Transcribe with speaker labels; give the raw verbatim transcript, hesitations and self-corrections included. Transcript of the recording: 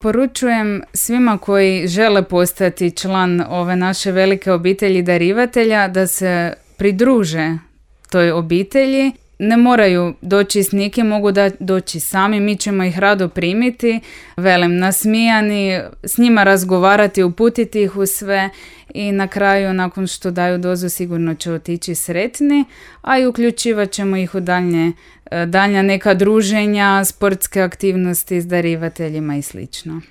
Speaker 1: Poručujem svima koji žele postati član ove naše velike obitelji darivatelja da se pridruže toj obitelji. Ne moraju doći s nikim, mogu da doći sami, mi ćemo ih rado primiti, velim, nasmijani, s njima razgovarati, uputiti ih u sve i na kraju, nakon što daju dozu, sigurno će otići sretni, a i uključivat ćemo ih u daljnje, daljnja neka druženja, sportske aktivnosti s darivateljima i slično.